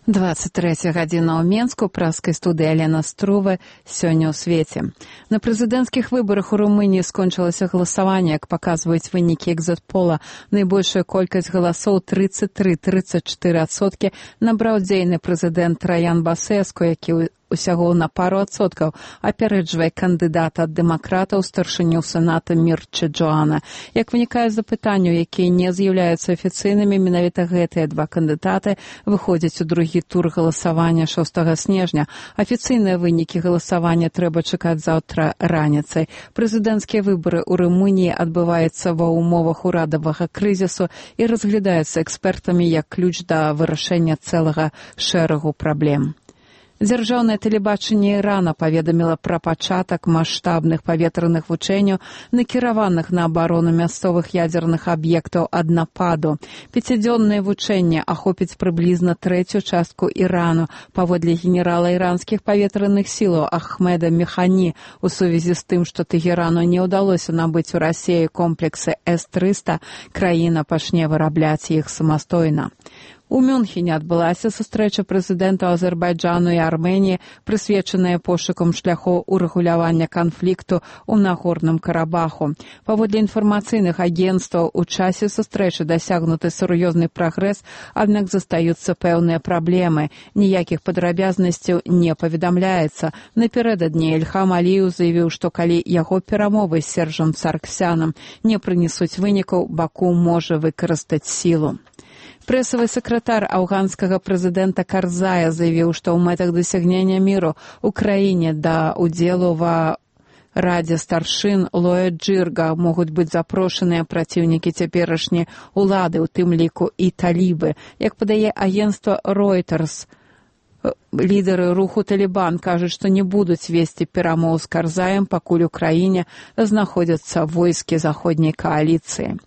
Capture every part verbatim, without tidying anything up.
двадцать третья гадзіна ў Менску, праскай студыі Алена Струва, сёння ў свеце. На прэзідэнцкіх выбарах у Румыніі скончылася галасаванне, як паказваюць вынікі экзит-пола. Найбольшая колькасць галасоў тридцать три — тридцать четыре адсоткі набраў дзейны прэзідэнт Траян Басэску, які усяго на пару адсоткаў апярэджвае кандыдата ад дэмакратаў старшыню сената Мірча Джоана. Як вынікае з запытанняў, якія не з'яўляюцца афіцыйнымі, менавіта гэтыя два кандыдаты выходзяць у другі тур галасавання шостага снежня. Афіцыйныя вынікі галасавання трэба чакаць заўтра раніцай. Прэзідэнцкія выбары ў Румыніі адбываюцца ва ўмовах урадавага крызісу і разглядаюцца экспертамі як ключ да вырашэння цэлага шэрагу праблем. Дзяржаўнае тэлебачанне Ірана паведаміла пра пачатак маштабных паветраных вучэнняў, накіраваных на абарону мясцовых ядзерных аб'ектаў ад нападу. Пяцідзённае вучэнне ахопіць прыблізна трэцюю частку Ірану, паводле генерала іранскіх паветраных сілаў Ахмеда Механі, у сувязі з тым, што Тэгерану не ўдалося набыць у Расіі комплексы эс трыста, краіна пачне вырабляць іх самастойна. У Мюнхене адбылася сустрэча прэзідэнтаў Азербайджану і Арменіі, прысвечаная пошукам шляхоў урэгулявання канфлікту ў Нагорным Карабаху. Паводле інфармацыйных агенцтваў, у часе сустрэчы дасягнуты сур'ёзны прагрэс, аднак застаюцца пэўныя праблемы. Ніякіх падрабязнасцяў не паведамляецца. Напярэдадні Ільхам Аліеў заявіў, што калі яго перамовы з Сержам Сарксянам не прынесуць вынікаў, Баку можа выкарыстаць сілу. Прэсавы сакратар афганскага прэзідэнта Карзая заявіў, што ў мэтах дасягнення міру ў краіне да ўдзелу ва Радзе старшын Лоя Джырга могуць быць запрошаныя праціўнікі цяперашняй улады, у тым ліку і талібы. Як падае агенцтва Reuters, лідары руху Талібан кажуць, што не будуць весці перамоў з Карзаем, пакуль у краіне знаходзяцца войскі заходняй кааліцыі.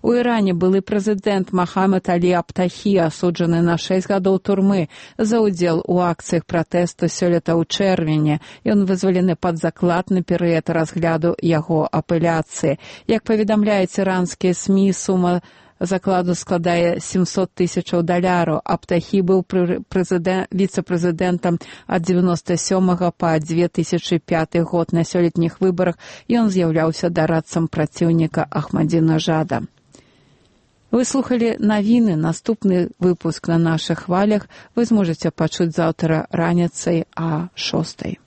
У Іране былы прэзідэнт Махамед Алі Абтахі асуджаны на шэсць гадоў турмы за ўдзел у акцыях пратэсту сёлета ў чэрвені. Ён вызвалены пад заклад на перыяд разгляду яго апеляцыі. Як паведамляюць іранскія СМІ, сума закладу складае сямсот тысячаў даляраў. Абтахі быў віцэ-прэзідэнтам ад дзевяноста сёмага па две тысячы пяты год. На сёлетніх выбарах ён з'яўляўся дарадцам праціўніка Ахмадзінажада. Вы слухали навіны. Наступны выпуск на нашых хвалях вы зможаце пачуць заўтра раніцай а шостай.